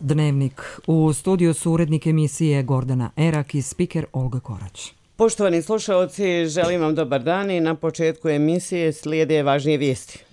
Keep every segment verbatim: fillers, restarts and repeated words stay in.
Dnevnik. U studiju su urednik emisije Gordana Erak i spiker Olga Korać. Poštovani slušalci, želim vam dobar dan i na početku emisije slijede važnije vijesti.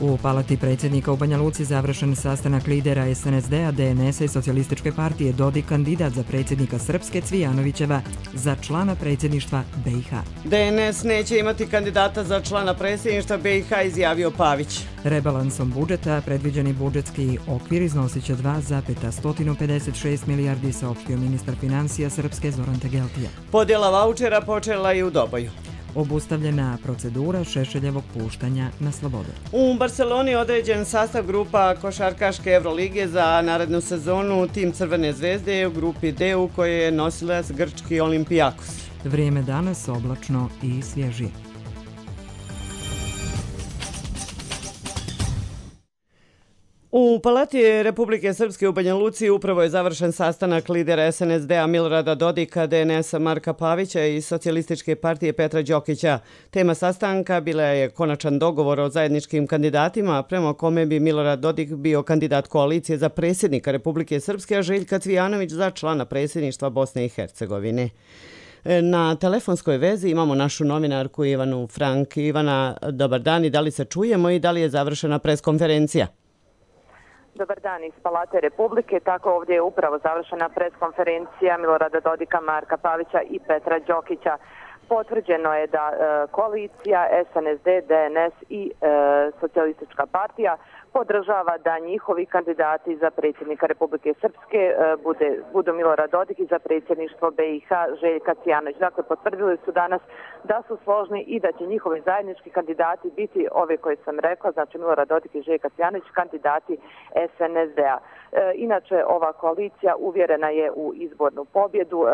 U palati predsjednika u Banja Luci završen sastanak lidera es en es de-a, de en es-a i Socijalističke partije. Dodik kandidat za predsjednika Srpske, Cvijanovićeva za člana predsjedništva be i ha. de en es neće imati kandidata za člana predsjedništva be i ha, izjavio Pavić. Rebalansom budžeta predviđeni budžetski okvir iznosit će dva zarez pedeset šest milijardi, saopštio ministar financija Srpske Zoran Tegeltija. Podjela vaučera počela i u Doboju. Obustavljena procedura Šešeljevog puštanja na slobodu. U Barceloni određen sastav grupa košarkaške Evrolige za narednu sezonu. Tim Crvene zvezde je u grupi D u kojoj je nosilac grčki Olimpijakos. Vrijeme danas oblačno i svježije. U Palati Republike Srpske u Banja Luci upravo je završen sastanak lidera es en es de-a Milorada Dodika, de en es-a Marka Pavića i Socijalističke partije Petra Đokića. Tema sastanka bila je konačan dogovor o zajedničkim kandidatima, prema kome bi Milorad Dodik bio kandidat koalicije za predsjednika Republike Srpske, a Željka Cvijanović za člana predsjedništva Bosne i Hercegovine. Na telefonskoj vezi imamo našu novinarku Ivanu Frank. Ivana, dobar dan i da li se čujemo i da li je završena preskonferencija? Dobar dan iz Palate Republike. Tako ovdje je upravo završena preskonferencija Milorada Dodika, Marka Pavića i Petra Đokića. Potvrđeno je da e, koalicija es en es de, de en es i e, Socijalistička partija podržava da njihovi kandidati za predsjednika Republike Srpske e, bude, budu Milorad Dodik i za predsjedništvo be i ha Željka Cvijanović. Dakle, potvrdili su danas da su složni i da će njihovi zajednički kandidati biti ove koje sam rekla, znači Milorad Dodik i Željka Cvijanović, kandidati es en es de-a. E, inače, ova koalicija uvjerena je u izbornu pobjedu. E,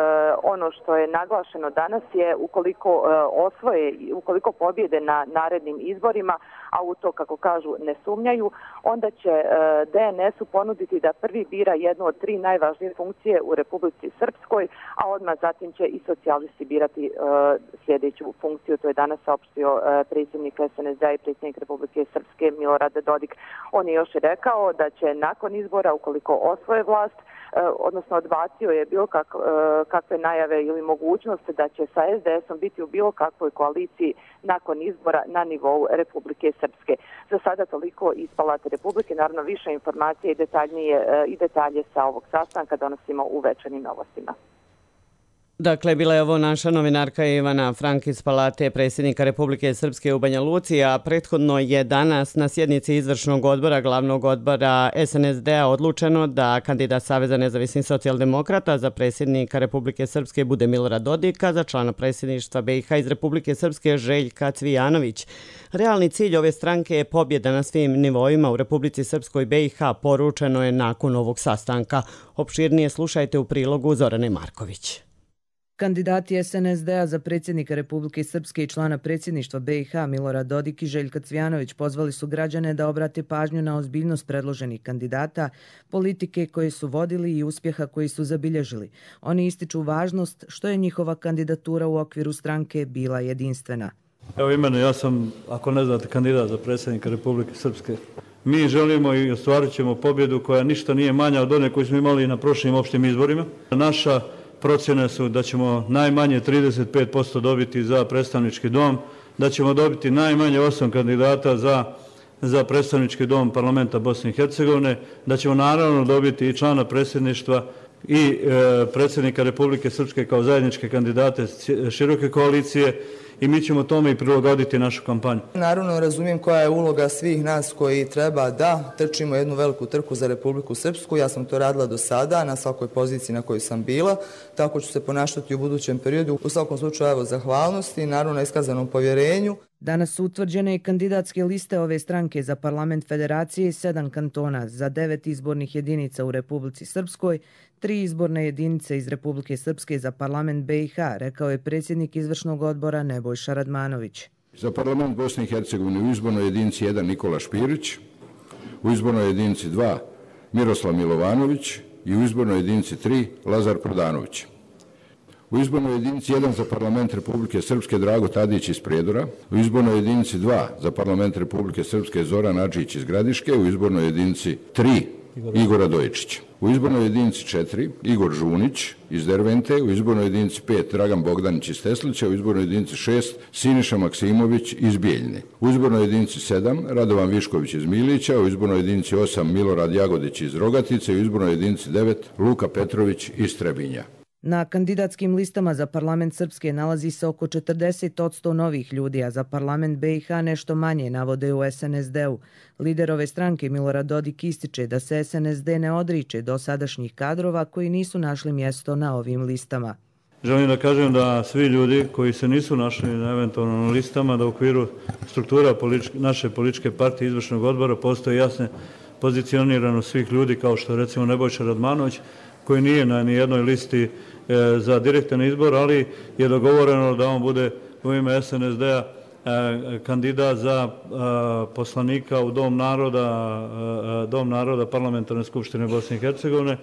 ono što je naglašeno danas je ukoliko e, osvoje, ukoliko pobjede na narednim izborima, a u to, kako kažu, ne sumnjaju, onda će e, de en es-u ponuditi da prvi bira jednu od tri najvažnije funkcije u Republici Srpskoj, a odmah zatim će i socijalisti birati e, sljedeću funkciju. To je danas saopštio e, predsjednik es en es de-a i predsjednik Republike Srpske Milorad Dodik. On je još i rekao da će nakon izbora, ukoliko osvoje vlast, odnosno odbacio je bilo kak, kakve najave ili mogućnosti da će sa es de es-om biti u bilo kakvoj koaliciji nakon izbora na nivou Republike Srpske. Za sada toliko iz Palate Republike. Naravno, više informacije i, detaljnije, i detalje sa ovog sastanka donosimo u večernjim novostima. Dakle, bila je ovo naša novinarka Ivana Frank iz Palate predsjednika Republike Srpske u Banja Luci, a prethodno je danas na sjednici izvršnog odbora, glavnog odbora es en es de-a odlučeno da kandidat Saveza nezavisnih socijaldemokrata za predsjednika Republike Srpske bude Milorad Dodik, a za člana predsjedništva be i ha iz Republike Srpske Željka Cvijanović. Realni cilj ove stranke je pobjeda na svim nivoima u Republici Srpskoj i be i ha, poručeno je nakon ovog sastanka. Opširnije slušajte u prilogu Zorane Marković. Kandidati es en es de-a za predsjednika Republike Srpske i člana predsjedništva be i ha Milorad Dodik i Željka Cvijanović pozvali su građane da obrate pažnju na ozbiljnost predloženih kandidata, politike koje su vodili i uspjeha koji su zabilježili. Oni ističu važnost što je njihova kandidatura u okviru stranke bila jedinstvena. Evo imeno, ja sam, ako ne znate, kandidat za predsjednika Republike Srpske. Mi želimo i ostvarit ćemo pobjedu koja ništa nije manja od one koju smo imali na prošlim opštim izborima. Naša procjene su da ćemo najmanje trideset pet posto dobiti za predstavnički dom, da ćemo dobiti najmanje osam kandidata za, za predstavnički dom parlamenta Bosne i Hercegovine, da ćemo naravno dobiti i člana predsjedništva i e, predsjednika Republike Srpske kao zajedničke kandidate široke koalicije i mi ćemo tome i prilagoditi našu kampanju. Naravno, razumijem koja je uloga svih nas koji treba da trčimo jednu veliku trku za Republiku Srpsku. Ja sam to radila do sada na svakoj poziciji na kojoj sam bila, tako ću se ponašati u budućem periodu. U svakom slučaju, evo, zahvalnosti i naravno iskazanom povjerenju. Danas su utvrđene i kandidatske liste ove stranke za parlament federacije i sedam kantona, za devet izbornih jedinica u Republici Srpskoj, tri izborne jedinice iz Republike Srpske za parlament be i ha, rekao je predsjednik izvršnog odbora Nebojša Radmanović. Za parlament Bosne i Hercegovine u izbornoj jedinici jedan Nikola Špirić, u izbornoj jedinici dva Miroslav Milovanović i u izbornoj jedinici tri Lazar Prodanović. U izbornoj jedinici jedan za parlament Republike Srpske Drago Tadić iz Prijedora, u izbornoj jedinici dva za parlament Republike Srpske Zoran Adžić iz Gradiške, u izbornoj jedinici tri Igor Radojičić. U izbornoj jedinici četiri Igor Žunić iz Dervente, u izbornoj jedinici pet Dragan Bogdanić iz Teslića, u izbornoj jedinici šest Siniša Maksimović iz Bijeljne. U izbornoj jedinici sedam Radovan Višković iz Milića, u izbornoj jedinici osam Milorad Jagodić iz Rogatice, u izbornoj jedinici devet Luka Petrović iz Trebinja. Na kandidatskim listama za parlament Srpske nalazi se oko četrdeset posto novih ljudi, a za parlament B i H nešto manje, navode u S N S D-u. Lider ove stranke Milorad Dodik ističe da se S N S D ne odriče dosadašnjih kadrova koji nisu našli mjesto na ovim listama. Želim da kažem da svi ljudi koji se nisu našli na eventualno listama, da u okviru struktura političke, naše političke partije izvršnog odbora postoje jasne pozicioniranost svih ljudi, kao što je recimo Nebojša Radmanović, koji nije na nijednoj listi e, za direktan izbor, ali je dogovoreno da on bude u ime S N S D-a e, kandidat za e, poslanika u Dom naroda, e, Dom naroda Parlamentarne skupštine Bosne i Hercegovine.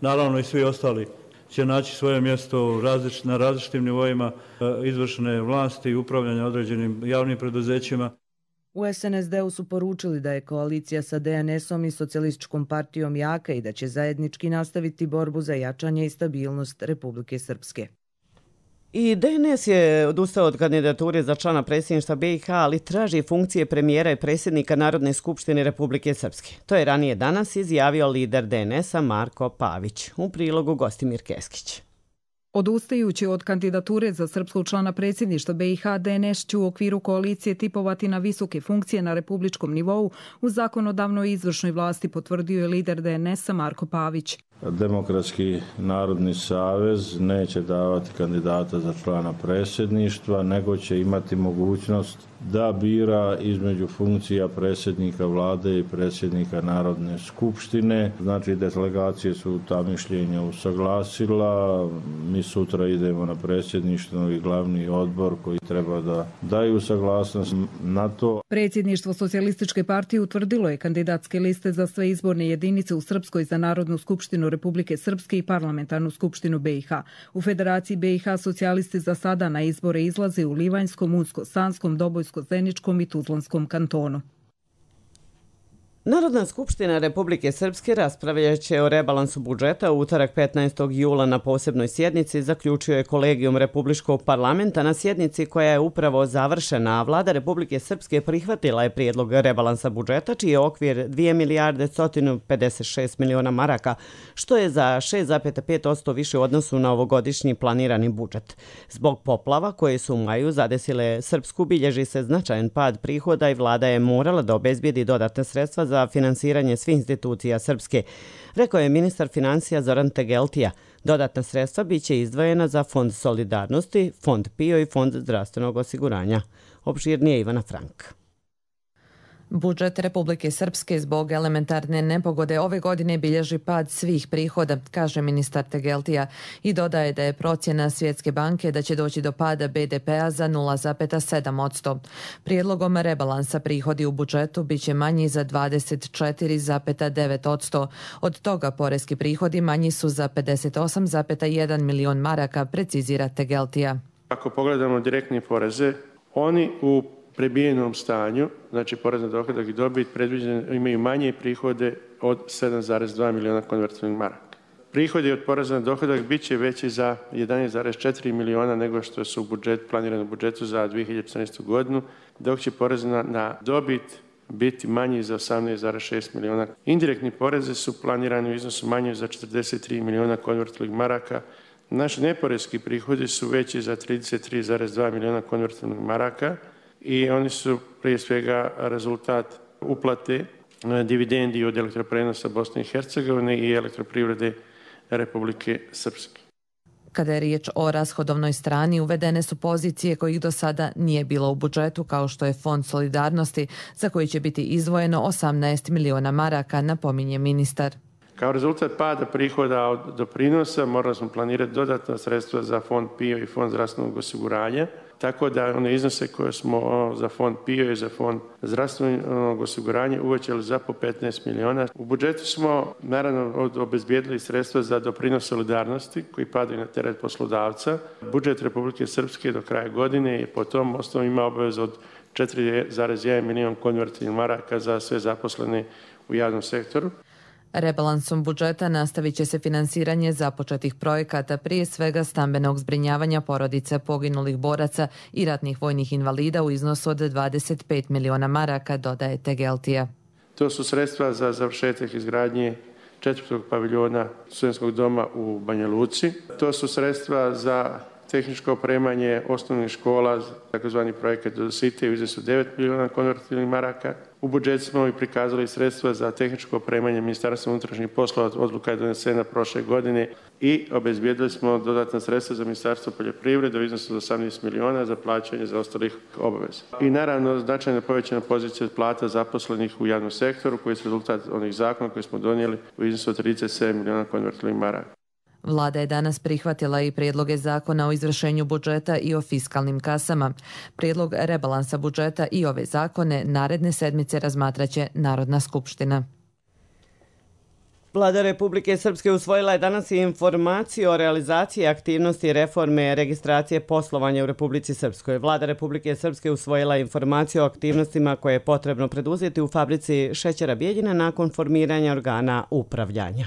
Naravno i svi ostali će naći svoje mjesto različ, na različitim nivoima e, izvršne vlasti i upravljanja određenim javnim preduzećima. U S N S D-u su poručili da je koalicija sa D N S-om i Socijalističkom partijom jaka i da će zajednički nastaviti borbu za jačanje i stabilnost Republike Srpske. I D N S je odustao od kandidature za člana predsjedništva B i H, ali traži funkcije premijera i predsjednika Narodne skupštine Republike Srpske. To je ranije danas izjavio lider D N S-a Marko Pavić. U prilogu Gostimir Keskić. Odustajući od kandidature za srpskog člana predsjedništva B i H, D N S će u okviru koalicije tipovati na visoke funkcije na republičkom nivou u zakonodavnoj i izvršnoj vlasti, potvrdio je lider D N S-a Marko Pavić. Demokratski narodni savez neće davati kandidata za člana predsjedništva, nego će imati mogućnost da bira između funkcija predsjednika vlade i predsjednika Narodne skupštine. Znači, delegacije su ta mišljenja usaglasila. Mi sutra idemo na predsjedništvo i glavni odbor koji treba da daju saglasnost na to. Predsjedništvo Socijalističke partije utvrdilo je kandidatske liste za sve izborne jedinice u Srpskoj za Narodnu skupštinu Republike Srpske i Parlamentarnu skupštinu B i H. U Federaciji B i H socijalisti za sada na izbore izlaze u Livanjskom, Unsko-Sanskom, Dobojsko-Zeničkom i Tuzlanskom kantonu. Narodna skupština Republike Srpske raspravljat će o rebalansu budžeta u utorak petnaestog jula na posebnoj sjednici, zaključio je Kolegijum Republičkog parlamenta na sjednici koja je upravo završena, a vlada Republike Srpske prihvatila je prijedlog rebalansa budžeta, čiji je okvir dvije milijarde sto pedeset šest miliona maraka, što je za šest zarez pet posto više u odnosu na ovogodišnji planirani budžet. Zbog poplava koje su u maju zadesile Srpsku, bilježi se značajan pad prihoda i vlada je morala da obezbijedi dodatne sredstva za finansiranje svih institucija Srpske, rekao je ministar financija Zoran Tegeltija. Dodatna sredstva biće izdvojena za Fond solidarnosti, Fond P I O i Fond zdravstvenog osiguranja. Opširnije Ivana Frank. Budžet Republike Srpske zbog elementarne nepogode ove godine bilježi pad svih prihoda, kaže ministar Tegeltija, i dodaje da je procjena Svjetske banke da će doći do pada B D P-a za nula zarez sedam posto. Prijedlogom rebalansa prihodi u budžetu biće manji za dvadeset četiri zarez devet posto. Od toga poreski prihodi manji su za pedeset osam zarez jedan milion maraka, precizira Tegeltija. Ako pogledamo direktne poreze, oni u prebijenom stanju, znači porez na dohodak i dobit, predviđene imaju manje prihode od sedam zarez dva miliona konvertibilnih maraka. Prihodi od poreza na dohodak bit će veći za jedanaest zarez četiri miliona nego što su u budžet, planirano u budžetu za dvije hiljade četrnaestu. godinu, dok će porez na, na dobit biti manji za osamnaest zarez šest miliona. Indirektni poreze su planirani u iznosu manji za četrdeset tri miliona konvertibilnih maraka. Naši neporeski prihodi su veći za trideset tri zarez dva miliona konvertibilnih maraka, i oni su prije svega rezultat uplate dividendi od elektroprenosa Bosne i Hercegovine i elektroprivrede Republike Srpske. Kada je riječ o rashodovnoj strani, uvedene su pozicije kojih do sada nije bilo u budžetu, kao što je Fond solidarnosti, za koji će biti izdvojeno osamnaest miliona maraka, napominje ministar. Kao rezultat pada prihoda od doprinosa morali smo planirati dodatna sredstva za fond P I O i fond zdravstvenog osiguranja, tako da one iznose koje smo za fond P I O i za fond zdravstvenog osiguranja uvećali za po petnaest miliona. U budžetu smo naravno obezbijedili sredstva za doprinos solidarnosti koji padaju na teret poslodavca. Budžet Republike Srpske do kraja godine je po tom osnovu ima obavezu od četiri zarez jedan milion konvertibilnih maraka za sve zaposlene u javnom sektoru. Rebalansom budžeta nastavit će se finansiranje započetih projekata, prije svega stambenog zbrinjavanja porodica poginulih boraca i ratnih vojnih invalida u iznosu od dvadeset pet miliona maraka, dodaje Tegeltija. To su sredstva za završetak izgradnje četvrtog paviljona studentskog doma u Banja Luci. To su sredstva za tehničko opremanje osnovnih škola, takozvani projekat Dosite u iznosu devet miliona konvertibilnih maraka. U budžetu smo i prikazali sredstva za tehničko opremanje Ministarstva unutrašnjih poslova, odluka je donesena prošle godine, i obezbijedili smo dodatna sredstva za Ministarstvo poljoprivrede u iznosu od osamnaest miliona za plaćanje za ostalih obaveza. I naravno značajno povećana pozicija plata zaposlenih u javnom sektoru koji su rezultat onih zakona koje smo donijeli u iznosu od trideset sedam miliona konvertibilnih maraka. Vlada je danas prihvatila i prijedloge zakona o izvršenju budžeta i o fiskalnim kasama. Prijedlog rebalansa budžeta i ove zakone naredne sedmice razmatraće Narodna skupština. Vlada Republike Srpske usvojila je danas i informaciju o realizaciji aktivnosti reforme registracije poslovanja u Republici Srpskoj. Vlada Republike Srpske usvojila je informaciju o aktivnostima koje je potrebno preduzeti u fabrici šećera Bijeljina nakon formiranja organa upravljanja.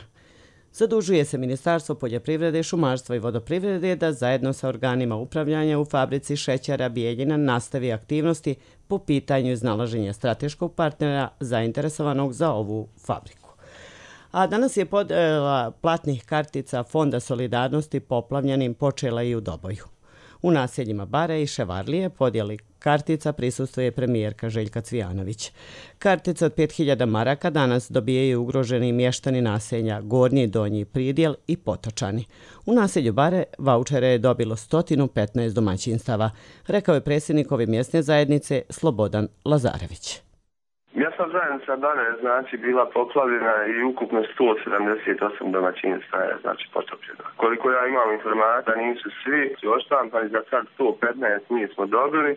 Zadužuje se Ministarstvo poljoprivrede, šumarstva i vodoprivrede da zajedno sa organima upravljanja u fabrici šećera Bijeljina nastavi aktivnosti po pitanju iznalaženja strateškog partnera zainteresovanog za ovu fabriku. A danas je podjela platnih kartica Fonda solidarnosti poplavljenim počela i u Doboju. U naseljima Bare i Ševarlije podjeli kartica prisustvuje premijerka Željka Cvijanović. Kartice od pet hiljada maraka danas dobijaju ugroženi mještani naselja Gornji i Donji Pridjel i Potočani. U naselju Bare vaučere je dobilo sto petnaest domaćinstava, rekao je predsjednik ove mjesne zajednice Slobodan Lazarević. Mjesna zajednica Bare znači bila poplavljena i ukupno sto sedamdeset osam domaćinstva je znači potopljeno. Koliko ja imam informacija, nisu svi oštampani, za sad sto petnaest mi smo dobili.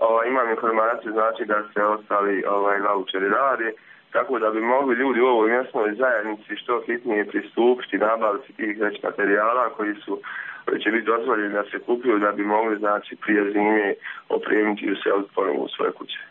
Ovaj, imam informaciju znači da se ostali ovaj, vaučeri radi, tako da bi mogli ljudi u ovoj mjesnoj zajednici što hitnije pristupiti, nabaviti tih već materijala koji su koji će biti dozvoljeni da se kupuju, da bi mogli znači prije zime opremiti i useliti ponovno u svoje kuće.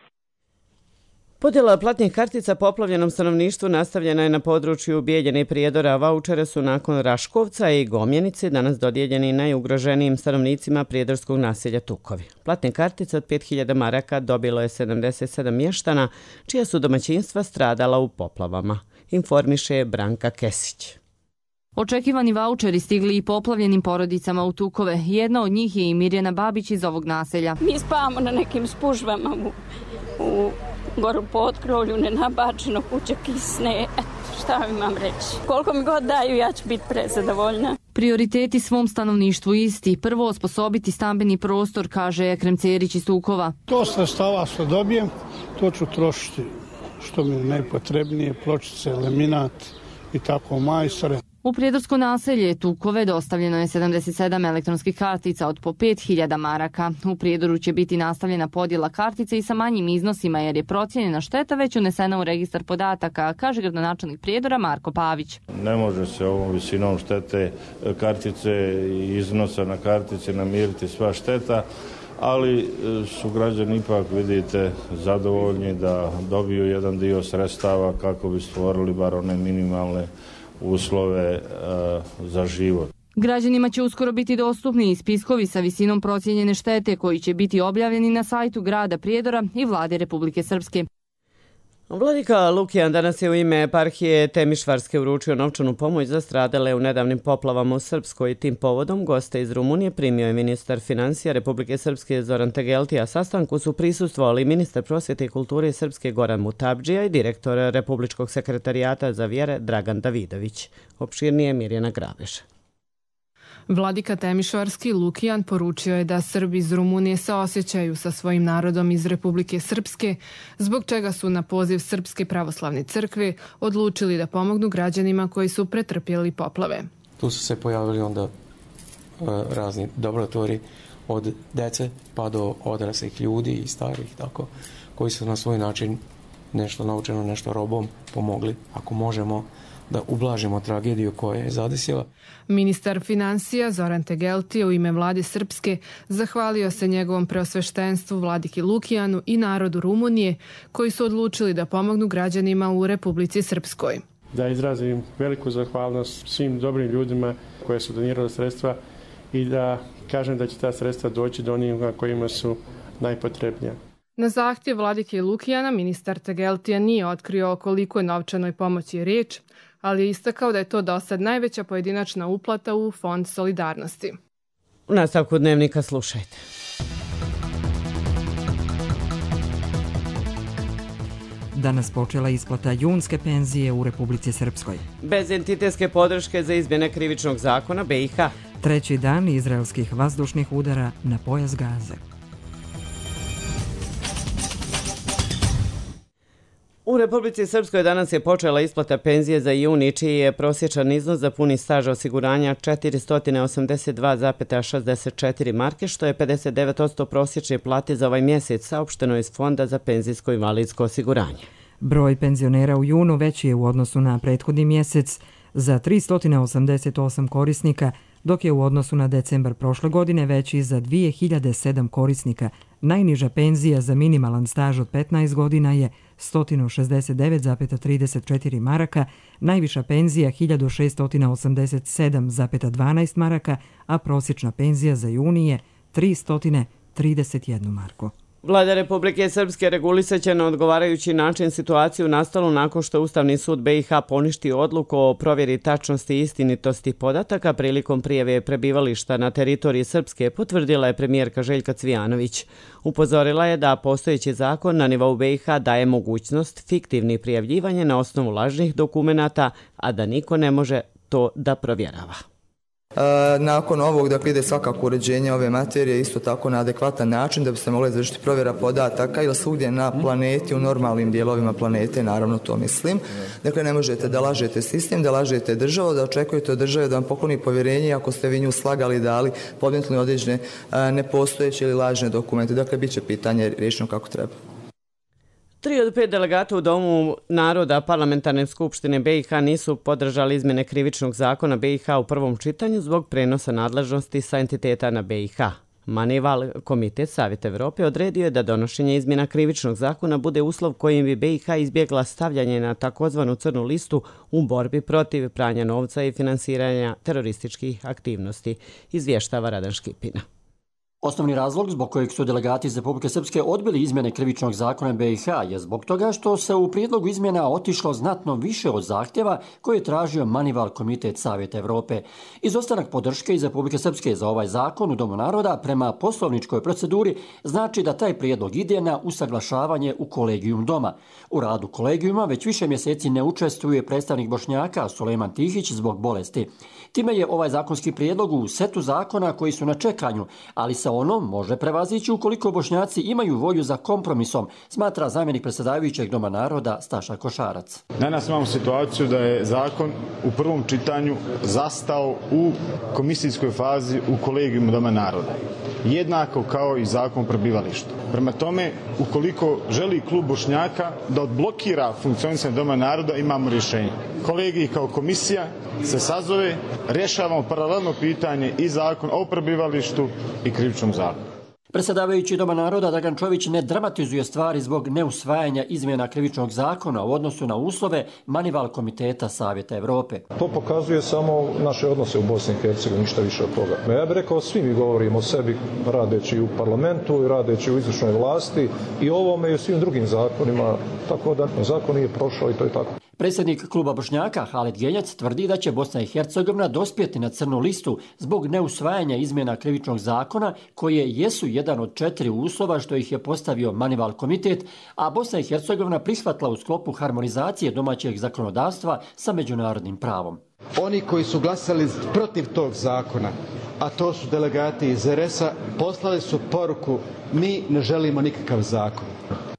Podjela platnih kartica poplavljenom stanovništvu nastavljena je na području Bijeljine i Prijedora. Vaučere su nakon Raškovca i Gomjenice danas dodijeljeni najugroženijim stanovnicima prijedorskog naselja Tukovi. Platne kartice od pet hiljada maraka dobilo je sedamdeset sedam mještana, čija su domaćinstva stradala u poplavama, informiše Branka Kesić. Očekivani vaučeri stigli i poplavljenim porodicama u Tukove. Jedna od njih je i Mirjana Babić iz ovog naselja. Mi spavamo na nekim spužvama u, u goru potkrovlju, nenabačeno, kuće kisne. Eto, šta imam reći. Koliko mi god daju, ja ću biti prezadovoljna. Prioriteti svom stanovništvu isti. Prvo, osposobiti stambeni prostor, kaže Ekrem Cerić iz Tukova. To sredstava što dobijem, to ću trošiti što mi je najpotrebnije, pločice, laminat i tako majstore. U prijedorsko naselje Tukove dostavljeno je sedamdeset sedam elektronskih kartica od po pet hiljada maraka. U Prijedoru će biti nastavljena podjela kartice i sa manjim iznosima jer je procijenjena šteta već unesena u registar podataka, kaže gradonačelnik Prijedora Marko Pavić. Ne može se ovom visinom štete kartice i iznosa na kartici namiriti sva šteta, ali su građani ipak, vidite, zadovoljni da dobiju jedan dio sredstava kako bi stvorili bar one minimalne uslove uh, za život. Građanima će uskoro biti dostupni i spiskovi sa visinom procijenjene štete koji će biti objavljeni na sajtu grada Prijedora i Vlade Republike Srpske. Vladika Lukijan danas je u ime eparhije Temišvarske uručio novčanu pomoć za stradale u nedavnim poplavama u Srpskoj. Tim povodom goste iz Rumunije primio je ministar financija Republike Srpske Zoran Tegeltija. Sastanku su prisustvovali ministar prosvjete i kulture Srpske Goran Mutabdžija i direktor Republičkog sekretarijata za vjere Dragan Davidović. Opširnije Mirjana Grabeša. Vladika Temišvarski Lukijan poručio je da Srbi iz Rumunije saosjećaju sa svojim narodom iz Republike Srpske, zbog čega su na poziv Srpske pravoslavne crkve odlučili da pomognu građanima koji su pretrpjeli poplave. Tu su se pojavili onda uh, razni dobrotvori od dece pa do odraslih ljudi i starih, tako, koji su na svoj način nešto naučeno, nešto robom pomogli, ako možemo, da ublažimo tragediju koja je zadesila. Ministar financija Zoran Tegelti u ime vlade Srpske zahvalio se njegovom preosveštenstvu Vladiki Lukijanu i narodu Rumunije koji su odlučili da pomognu građanima u Republici Srpskoj. Da izrazim veliku zahvalnost svim dobrim ljudima koje su donirali sredstva i da kažem da će ta sredstva doći do onih kojima su najpotrebnija. Na zahtjev Vladike Lukijana ministar Tegeltija nije otkrio o koliko novčanoj pomoći je riječ, ali je istakao da je to do sad najveća pojedinačna uplata u Fond solidarnosti. U nastavku dnevnika slušajte. Danas počela isplata junske penzije u Republici Srpskoj. Bez entitetske podrške za izmjene krivičnog zakona B i H. Treći dan izraelskih vazdušnih udara na pojas Gaze. U Republici Srpskoj danas je počela isplata penzije za juni, čiji je prosječan iznos za puni staž osiguranja četiristo osamdeset dva zarez šezdeset četiri marke, što je pedeset devet posto prosječne plate za ovaj mjesec, saopšteno iz Fonda za penzijsko i invalidsko osiguranje. Broj penzionera u junu veći je u odnosu na prethodni mjesec za tristo osamdeset osam korisnika, dok je u odnosu na decembar prošle godine veći za dvije hiljade sedam korisnika. Najniža penzija za minimalan staž od petnaest godina je sto šezdeset devet zarez trideset četiri maraka, najviša penzija hiljadu šesto osamdeset sedam zarez dvanaest maraka, a prosječna penzija za juni je tristo trideset jedna marku. Vlada Republike Srpske regulisat će na odgovarajući način situaciju nastalu nakon što Ustavni sud B i H poništi odluku o provjeri tačnosti i istinitosti podataka prilikom prijave prebivališta na teritoriji Srpske, potvrdila je premijerka Željka Cvijanović. Upozorila je da postojeći zakon na nivou B i H daje mogućnost fiktivnih prijavljivanja na osnovu lažnih dokumenata, a da niko ne može to da provjerava. E, nakon ovog, dakle, ide svakako uređenje ove materije isto tako na adekvatan način da bi se mogla izvršiti provjera podataka ili svugdje na planeti, u normalnim dijelovima planete, naravno to mislim. Dakle, ne možete da lažete sistem, da lažete državu, da očekujete od države da vam pokloni povjerenje ako ste vi nju slagali, dali, podmetnuli određene nepostojeće ili lažne dokumente. Dakle, bit će pitanje riješeno kako treba. Tri od pet delegata u Domu naroda Parlamentarne skupštine B i H nisu podržali izmjene krivičnog zakona B i H u prvom čitanju zbog prenosa nadležnosti sa entiteta na B i H. Manival, Komitet Savjeta Evrope, odredio je da donošenje izmjena krivičnog zakona bude uslov kojim bi B i H izbjegla stavljanje na takozvanu crnu listu u borbi protiv pranja novca i finansiranja terorističkih aktivnosti, izvještava Radan Škipina. Osnovni razlog zbog kojeg su delegati iz Republike Srpske odbili izmjene krivičnog zakona B i H je zbog toga što se u prijedlogu izmjena otišlo znatno više od zahtjeva koje je tražio Manival, Komitet Savjeta Evrope. Izostanak podrške iz Republike Srpske za ovaj zakon u Domu naroda prema poslovničkoj proceduri znači da taj prijedlog ide na usaglašavanje u kolegijum Doma. U radu kolegijuma već više mjeseci ne učestvuje predstavnik Bošnjaka Sulejman Tihić zbog bolesti. Time je ovaj zakonski prijedlog u setu zakona koji su na čekanju, ali se ono može prevazići ukoliko Bošnjaci imaju volju za kompromisom, smatra zamjenik predsjedavajućeg Doma naroda Staša Košarac. Danas imamo situaciju da je zakon u prvom čitanju zastao u komisijskoj fazi u kolegijumu Doma naroda. Jednako kao i zakon o prebivalištu. Prema tome, ukoliko želi klub Bošnjaka da odblokira funkcionisanje Doma naroda, imamo rješenje. Kolegiji kao komisija se sazove, rješavamo paralelno pitanje i zakon o prebivalištu i krivičnom zakonu. Predsjedavajući Doma naroda Dragan Čović ne dramatizuje stvari zbog neusvajanja izmjena krivičnog zakona u odnosu na uslove Manival Komiteta Savjeta Evrope. To pokazuje samo naše odnose u Bosni i Hercegovini, ništa više od toga. Ja bih rekao, svi mi govorimo o sebi radeći u parlamentu i radeći u izvršnoj vlasti i ovome i u svim drugim zakonima, tako da zakon nije prošao i to je tako. Predsjednik kluba Bošnjaka Halid Genjac tvrdi da će Bosna i Hercegovina dospjeti na crnu listu zbog neusvajanja izmjena krivičnog zakona koje jesu jedan od četiri uslova što ih je postavio Manival komitet, a Bosna i Hercegovina prihvatila u sklopu harmonizacije domaćeg zakonodavstva sa međunarodnim pravom. Oni koji su glasali protiv tog zakona, a to su delegati iz er es a, poslali su poruku: mi ne želimo nikakav zakon.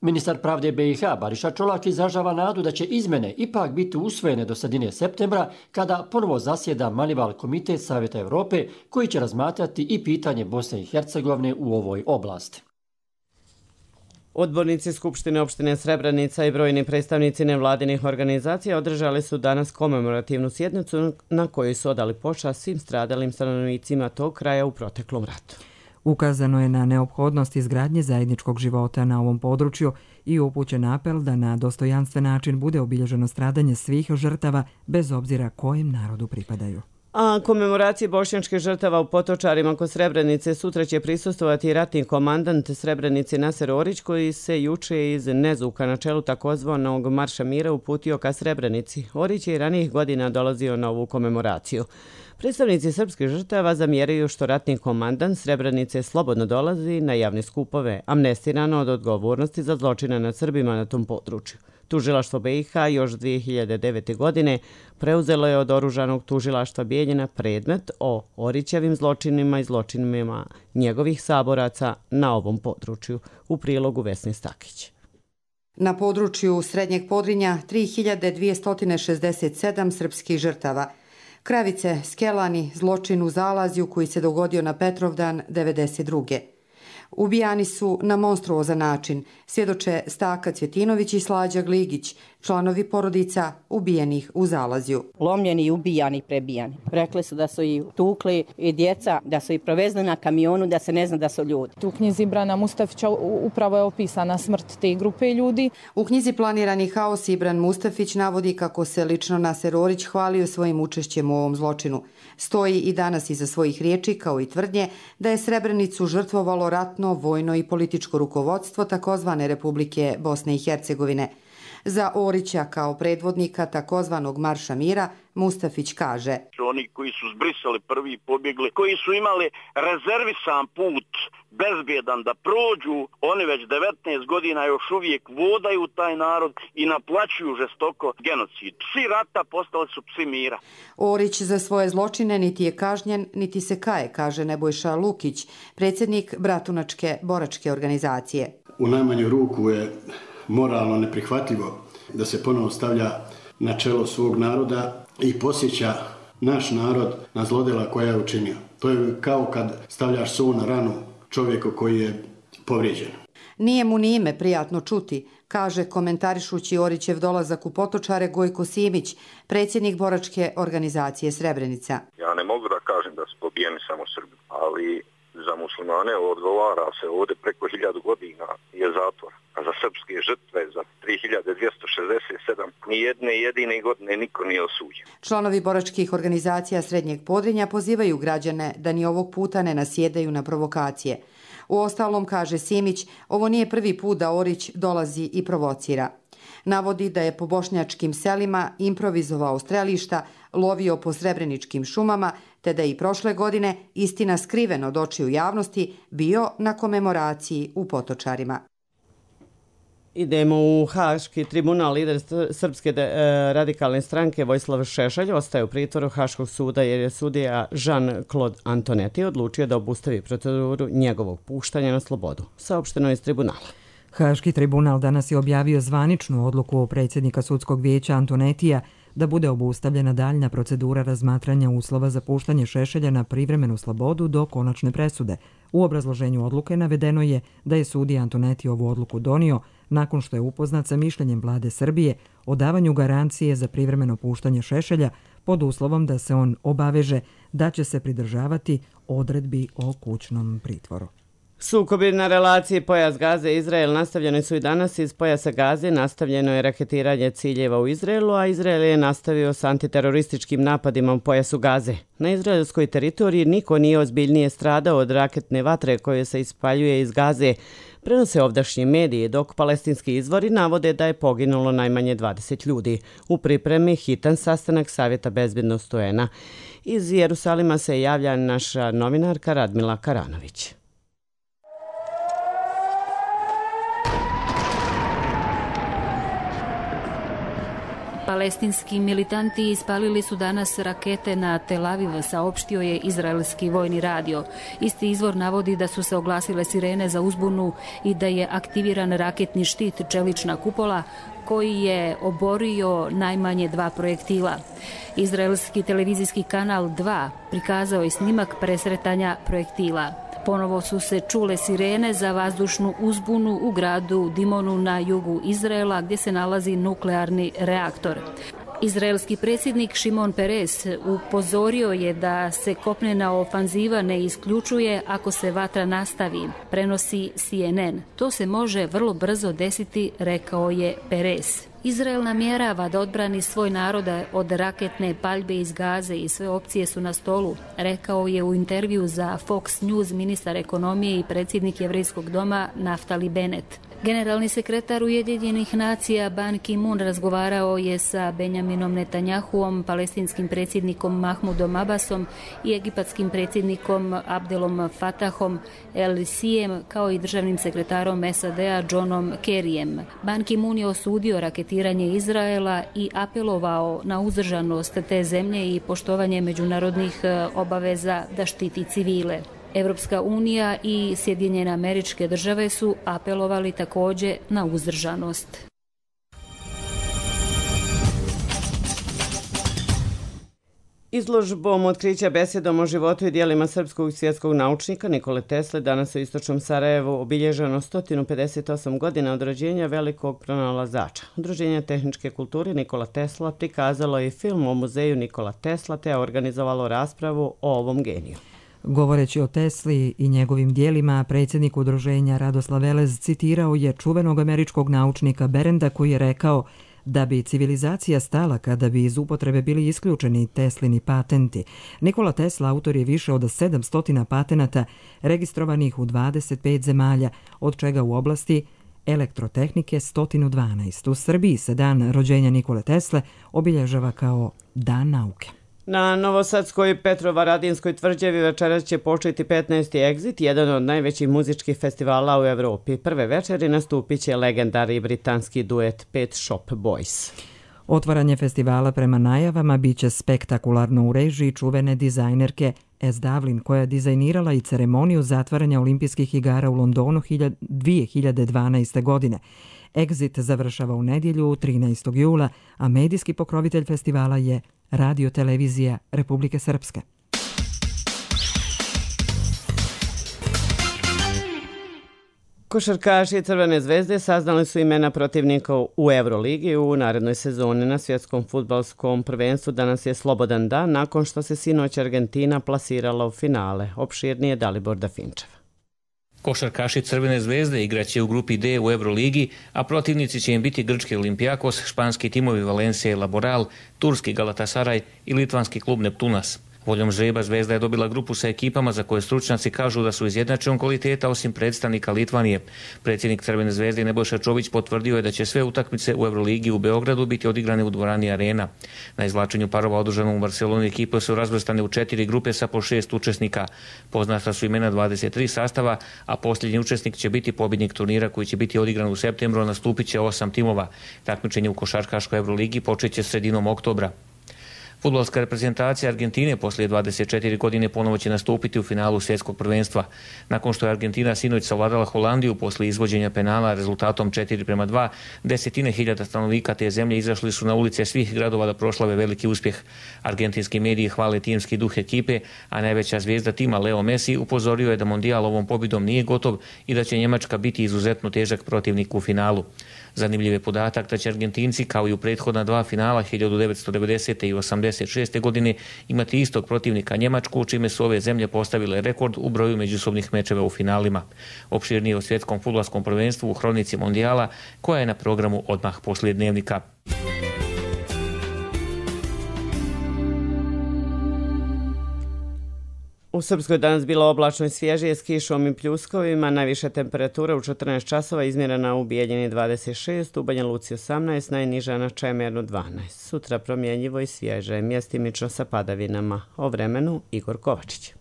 Ministar pravde be i ha Bariša Čolak izražava nadu da će izmjene ipak biti usvojene do sredine septembra, kada ponovo zasjeda Manival komitet Savjeta Europe koji će razmatrati i pitanje Bosne i Hercegovine u ovoj oblasti. Odbornici Skupštine opštine Srebrenica i brojni predstavnici nevladinih organizacija održali su danas komemorativnu sjednicu na kojoj su odali počast svim stradalim stanovnicima tog kraja u proteklom ratu. Ukazano je na neophodnost izgradnje zajedničkog života na ovom području i upućen apel da na dostojanstven način bude obilježeno stradanje svih žrtava bez obzira kojem narodu pripadaju. A komemoracije bošnjačkih žrtava u Potočarima kod Srebrenice sutra će prisustvovati ratni komandant Srebrenice Naser Orić, koji se juče iz Nezuka na čelu takozvanog Marša mira uputio ka Srebrenici. Orić je i ranijih godina dolazio na ovu komemoraciju. Predstavnici srpskih žrtava zamjeraju što ratni komandant Srebrenice slobodno dolazi na javne skupove, amnestirano od odgovornosti za zločine nad Srbima na tom području. Tužilaštvo be i ha još dvije hiljade devete. godine preuzelo je od oružanog tužilaštva Bijeljina predmet o Orićevim zločinima i zločinima njegovih saboraca na ovom području, u prilogu Vesni Stakić. Na području Srednjeg Podrinja tri hiljade dvjesto šezdeset sedam srpskih žrtava. Kravice, Skelani, zločin u Zalazju koji se dogodio na Petrovdan devedeset druge. Ubijani su na monstruozan način, svjedoče Staka Cvjetinović i Slađa Gligić, članovi porodica ubijenih u Zalazju. Lomljeni, ubijani, prebijani. Rekli su da su i tukli i djeca, da su i provezli na kamionu, da se ne zna da su ljudi. U knjizi Ibrana Mustafića upravo je opisana smrt te grupe ljudi. U knjizi Planirani haos Ibran Mustafić navodi kako se lično Naser Orić hvalio svojim učešćem u ovom zločinu. Stoji i danas iza svojih riječi, kao i tvrdnje, da je Srebrenicu žrtvovalo ratno, vojno i političko rukovodstvo takozvane Republike Bosne i Hercegovine. Za Orića kao predvodnika takozvanog Marša mira Mustafić kaže: Oni koji su zbrisali prvi pobjegli, koji su imali rezervisan put, bezbjedan da prođu, oni već devetnaest godina još uvijek vodaju taj narod i naplaćuju žestoko genocid. Psi rata postali su psi mira. Orić za svoje zločine niti je kažnjen, niti se kaje, kaže Nebojša Lukić, predsjednik Bratunačke boračke organizacije. U najmanju ruku je moralno neprihvatljivo da se ponovo stavlja na čelo svog naroda i posjeća naš narod na zlodjela koja je učinio. To je kao kad stavljaš sol na ranu čovjeku koji je povrijeđen. Nije mu ni ime prijatno čuti, kaže komentarišući Orićev dolazak u Potočare Gojko Simić, predsjednik boračke organizacije Srebrenica. Ja ne mogu da kažem da su pobijeni samo Srbi, ali za muslimane odgovara se ovdje preko hiljadu godina je zatvor. A za srpske žrtve, za tri hiljade dvjesto šezdeset sedam, ni jedne jedine godine niko nije osuđen. Članovi boračkih organizacija Srednjeg Podrinja pozivaju građane da ni ovog puta ne nasjedaju na provokacije. Uostalom, kaže Simić, ovo nije prvi put da Orić dolazi i provocira. Navodi da je po bošnjačkim selima improvizovao strelišta, lovio po srebreničkim šumama, te da je i prošle godine, istina skriveno od očiju javnosti, bio na komemoraciji u Potočarima. Idemo u Haški tribunal. Lider Srpske radikalne stranke Vojislav Šešelj ostaje u pritvoru Haškog suda jer je sudija Jean-Claude Antonetti odlučio da obustavi proceduru njegovog puštanja na slobodu. Saopšteno je iz tribunala. Haški tribunal danas je objavio zvaničnu odluku predsjednika sudskog vijeća Antonetija da bude obustavljena daljna procedura razmatranja uslova za puštanje Šešelja na privremenu slobodu do konačne presude. U obrazloženju odluke navedeno je da je sudija Antonetti ovu odluku donio nakon što je upoznat sa mišljenjem vlade Srbije o davanju garancije za privremeno puštanje Šešelja pod uslovom da se on obaveže da će se pridržavati odredbi o kućnom pritvoru. Sukobi na relaciji pojas Gaze i Izrael nastavljeni su i danas. Iz pojasa Gaze nastavljeno je raketiranje ciljeva u Izraelu, a Izrael je nastavio s antiterorističkim napadima u pojasu Gaze. Na izraelskoj teritoriji niko nije ozbiljnije stradao od raketne vatre koje se ispaljuje iz Gaze, prenose ovdašnji mediji, dok palestinski izvori navode da je poginulo najmanje dvadeset ljudi. U pripremi hitan sastanak Savjeta bezbednosti U N-a. Iz Jerusalima se javlja naša novinarka Radmila Karanović. Palestinski militanti ispalili su danas rakete na Tel Aviv, saopštio je izraelski vojni radio. Isti izvor navodi da su se oglasile sirene za uzbunu i da je aktiviran raketni štit čelična kupola koji je oborio najmanje dva projektila. Izraelski televizijski kanal dva prikazao je snimak presretanja projektila. Ponovo su se čule sirene za vazdušnu uzbunu u gradu Dimonu na jugu Izraela gdje se nalazi nuklearni reaktor. Izraelski predsjednik Šimon Peres upozorio je da se kopnena ofanziva ne isključuje ako se vatra nastavi, prenosi C N N. To se može vrlo brzo desiti, rekao je Peres. Izrael namjerava da odbrani svoj narod od raketne paljbe iz Gaze i sve opcije su na stolu, rekao je u intervju za Fox News ministar ekonomije i predsjednik Jevrejskog doma Naftali Bennett. Generalni sekretar Ujedinjenih nacija Ban Ki-moon razgovarao je sa Benjaminom Netanjahuom, palestinskim predsjednikom Mahmudom Abbasom i egipatskim predsjednikom Abdelom Fatahom El-Sijem kao i državnim sekretarom S A D-a Johnom Kerryjem. Ban Ki-moon je osudio raketiranje Izraela i apelovao na uzdržanost te zemlje i poštovanje međunarodnih obaveza da štiti civile. Evropska unija i Sjedinjene Američke Države su apelovali također na uzdržanost. Izložbom otkrića besedom o životu i dijelima srpskog svjetskog naučnika Nikole Tesle danas u istočnom Sarajevu obilježeno sto pedeset osam godina od rođenja velikog pronalazača. Udruženje tehničke kulture Nikola Tesla prikazalo je film o muzeju Nikola Tesla te organizovalo raspravu o ovom geniju. Govoreći o Tesli i njegovim dijelima, predsjednik udruženja Radoslav Velez citirao je čuvenog američkog naučnika Berenda koji je rekao da bi civilizacija stala kada bi iz upotrebe bili isključeni Teslini patenti. Nikola Tesla autor je više od sedamsto patenata registrovanih u dvadeset pet zemalja, od čega u oblasti elektrotehnike sto dvanaest. U Srbiji se dan rođenja Nikole Tesle obilježava kao Dan nauke. Na Novosadskoj Petrovaradinskoj tvrđavi večeras će početi petnaesti Exit, jedan od najvećih muzičkih festivala u Evropi. Prve večeri nastupit će legendarni britanski duet Pet Shop Boys. Otvaranje festivala prema najavama biće spektakularno u režiji čuvene dizajnerke S. Davlin, koja je dizajnirala i ceremoniju zatvaranja olimpijskih igara u Londonu dvije hiljade dvanaeste. godine. Exit završava u nedjelju trinaestog jula, a medijski pokrovitelj festivala je Radio Televizija Republike Srpske. Košarkaši Crvene zvezde saznali su imena protivnika u Euroligi u narednoj sezoni. Na svjetskom fudbalskom prvenstvu danas je slobodan dan nakon što se sinoć Argentina plasirala u finale. Opširnije Dalibor Dafinčev. Košarkaši Crvene zvezde igraće u grupi D u Euroligi, a protivnici će im biti grčki Olimpijakos, španski timovi Valencia i Laboral, turski Galatasaray i litvanski klub Neptunas. Voljom žreba Zvezda je dobila grupu sa ekipama za koje stručnjaci kažu da su izjednačenog kvaliteta osim predstavnika Litvanije. Predsjednik Crvene zvezde Nebojša Čović potvrdio je da će sve utakmice u Euroligi u Beogradu biti odigrane u dvorani Arena. Na izvlačenju parova održanom u Barceloni ekipe su razvrstane u četiri grupe sa po šest učesnika. Poznata su imena dvadeset tri sastava, a posljednji učesnik će biti pobjednik turnira koji će biti odigran u septembru, a nastupit će osam timova. Takmičenje u košarkaškoj Euroligi počeće sredinom oktobra. Fudbalska reprezentacija Argentine poslije dvadeset četiri godine ponovo će nastupiti u finalu svjetskog prvenstva. Nakon što je Argentina sinoć savladala Holandiju poslije izvođenja penala rezultatom četiri prema dva, desetine hiljada stanovnika te zemlje izašli su na ulice svih gradova da proslave veliki uspjeh. Argentinski mediji hvale timski duh ekipe, a najveća zvijezda tima Leo Messi upozorio je da mondijal ovom pobjedom nije gotov i da će Njemačka biti izuzetno težak protivnik u finalu. Zanimljiv je podatak da će Argentinci, kao i u prethodna dva finala hiljadu devetsto devedesete. i osamdesete. devedeset šeste. godine imati istog protivnika Njemačku, čime su ove zemlje postavile rekord u broju međusobnih mečeva u finalima. Opširnije o svjetskom fudbalskom prvenstvu u hronici Mondijala, koja je na programu odmah poslije dnevnika. U Srpskoj danas bilo oblačno i svježije s kišom i pljuskovima, najviša temperatura u četrnaest časova izmjerena u Bijeljini dvadeset šest, u Banja Luci osamnaest, najniža na Čemernu dvanaest. Sutra promjenjivo i svježe, mjestimično sa padavinama. O vremenu Igor Kovačić.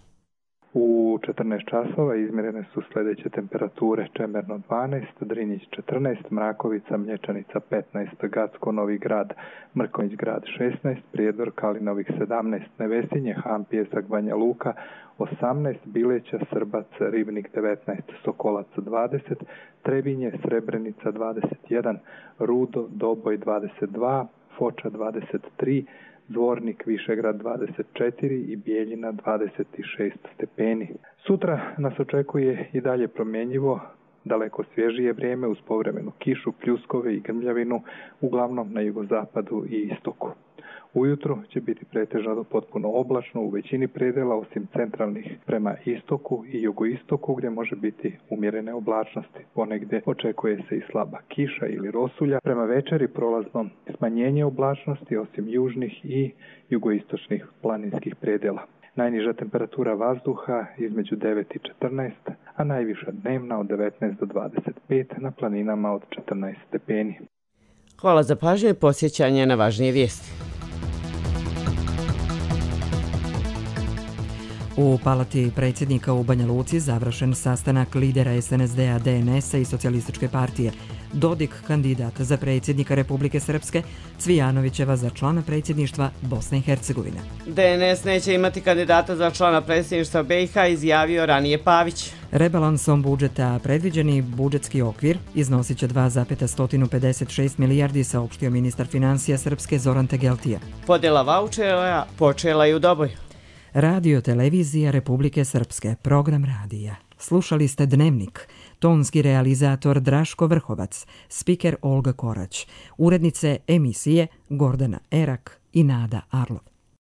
U četrnaest časova izmjerene su sljedeće temperature: Čemerno dvanaest, Drinjić četrnaest, Mrakovica, Mlječanica petnaest, Gacko, Novi Grad, Mrkonjić Grad šesnaest, Prijedor, Kalinovik sedamnaest, Nevesinje, Han, Pijesak, Banja Luka osamnaest, Bileća, Srbac, Ribnik devetnaest, Sokolac dvadeset, Trebinje, Srebrenica dvadeset jedan, Rudo, Doboj dvadeset dva, Foča dvadeset tri, Zvornik, Višegrad dvadeset četiri i Bijeljina dvadeset šest stepeni. Sutra nas očekuje i dalje promjenjivo, daleko svježije vrijeme uz povremenu kišu, pljuskove i grmljavinu, uglavnom na jugozapadu i istoku. Ujutro će biti pretežno do potpuno oblačno u većini predela, osim centralnih prema istoku i jugoistoku gdje može biti umjerene oblačnosti. Ponegdje očekuje se i slaba kiša ili rosulja. Prema večeri prolazno smanjenje oblačnosti osim južnih i jugoistočnih planinskih predela. Najniža temperatura vazduha između devet i četrnaest, a najviša dnevna od devetnaest do dvadeset pet, na planinama od četrnaest stepeni. Hvala za pažnju i posjećanje na važnije vijesti. U palati predsjednika u Banja Luci završen sastanak lidera S N S D-a, D N S-a i Socijalističke partije. Dodik kandidat za predsjednika Republike Srpske, Cvijanovićeva za člana predsjedništva Bosne i Hercegovine. D N S neće imati kandidata za člana predsjedništva B i H, izjavio ranije Pavić. Rebalansom budžeta predviđeni budžetski okvir iznosit će dva zarez pedeset šest milijardi, saopštio ministar financija Srpske Zoran Tegeltija. Podjela vaučera počela i u Doboju. Radio televizija Republike Srpske, program radija. Slušali ste Dnevnik, tonski realizator Draško Vrhovac, spiker Olga Korać, urednice emisije Gordana Erak i Nada Arlov.